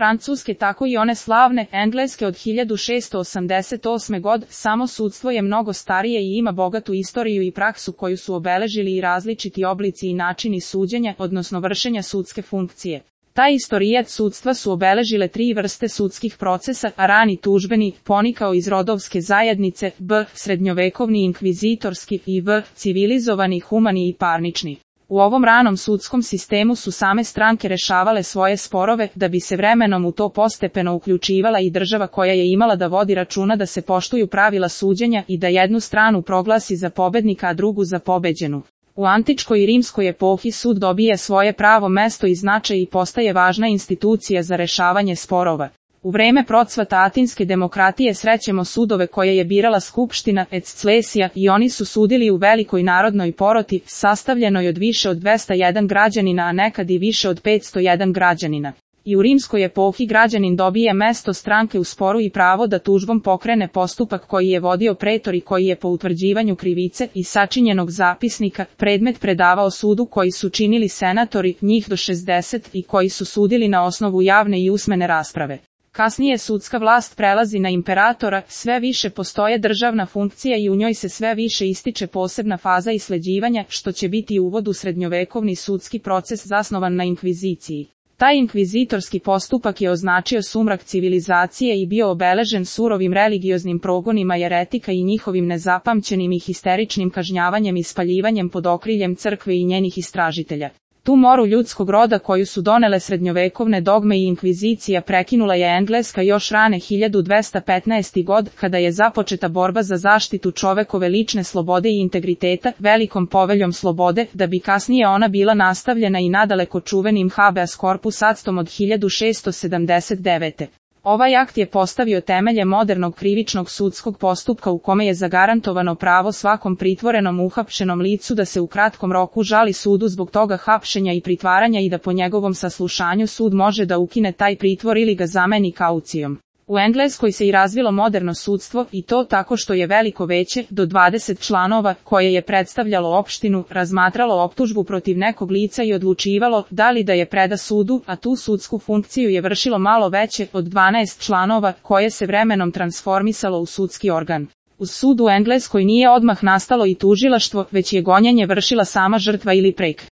Francuske tako i one slavne Engleske od 1688. godine, samo sudstvo je mnogo starije i ima bogatu istoriju i praksu koju su obeležili i različiti oblici i načini suđenja, odnosno vršenja sudske funkcije. Taj istorijat sudstva su obeležile 3 vrste sudskih procesa, a rani tužbeni, ponikao iz rodovske zajednice, b. srednjovekovni inkvizitorski i v. civilizovani, humani i parnični. U ovom ranom sudskom sistemu su same stranke rešavale svoje sporove, da bi se vremenom u to postepeno uključivala i država koja je imala da vodi računa da se poštuju pravila suđenja i da jednu stranu proglasi za pobednika, a drugu za pobeđenu. U antičkoj i rimskoj epohi sud dobije svoje pravo mesto i značaj i postaje važna institucija za rešavanje sporova. U vreme procvata atinske demokratije srećemo sudove koje je birala skupština Exclesia i oni su sudili u velikoj narodnoj poroti, sastavljenoj od više od 201 građanina, a nekad i više od 501 građanina. I u rimskoj epohi građanin dobije mesto stranke u sporu i pravo da tužbom pokrene postupak koji je vodio pretor i koji je po utvrđivanju krivice i sačinjenog zapisnika predmet predavao sudu koji su činili senatori, njih do 60, i koji su sudili na osnovu javne i usmene rasprave. Kasnije sudska vlast prelazi na imperatora, sve više postoje državna funkcija i u njoj se sve više ističe posebna faza isleđivanja, što će biti uvod u srednjovekovni sudski proces zasnovan na inkviziciji. Taj inkvizitorski postupak je označio sumrak civilizacije i bio obeležen surovim religioznim progonima jeretika i njihovim nezapamćenim i histeričnim kažnjavanjem i spaljivanjem pod okriljem crkve i njenih istražitelja. Tu moru ljudskog roda koju su donele srednjovekovne dogme i inkvizicija prekinula je Engleska još rane 1215. godine, kada je započeta borba za zaštitu čovekove lične slobode i integriteta, velikom poveljom slobode, da bi kasnije ona bila nastavljena i nadaleko čuvenim habeas corpus actom od 1679. Ovaj akt je postavio temelje modernog krivičnog sudskog postupka u kome je zagarantovano pravo svakom pritvorenom uhapšenom licu da se u kratkom roku žali sudu zbog toga hapšenja i pritvaranja i da po njegovom saslušanju sud može da ukine taj pritvor ili ga zameni kaucijom. U Engleskoj se i razvilo moderno sudstvo i to tako što je veliko veće, do 20 članova, koje je predstavljalo opštinu, razmatralo optužbu protiv nekog lica i odlučivalo da li da je preda sudu, a tu sudsku funkciju je vršilo malo veće, od 12 članova, koje se vremenom transformisalo u sudski organ. Uz sud u Engleskoj nije odmah nastalo i tužilaštvo, već je gonjenje vršila sama žrtva ili prek.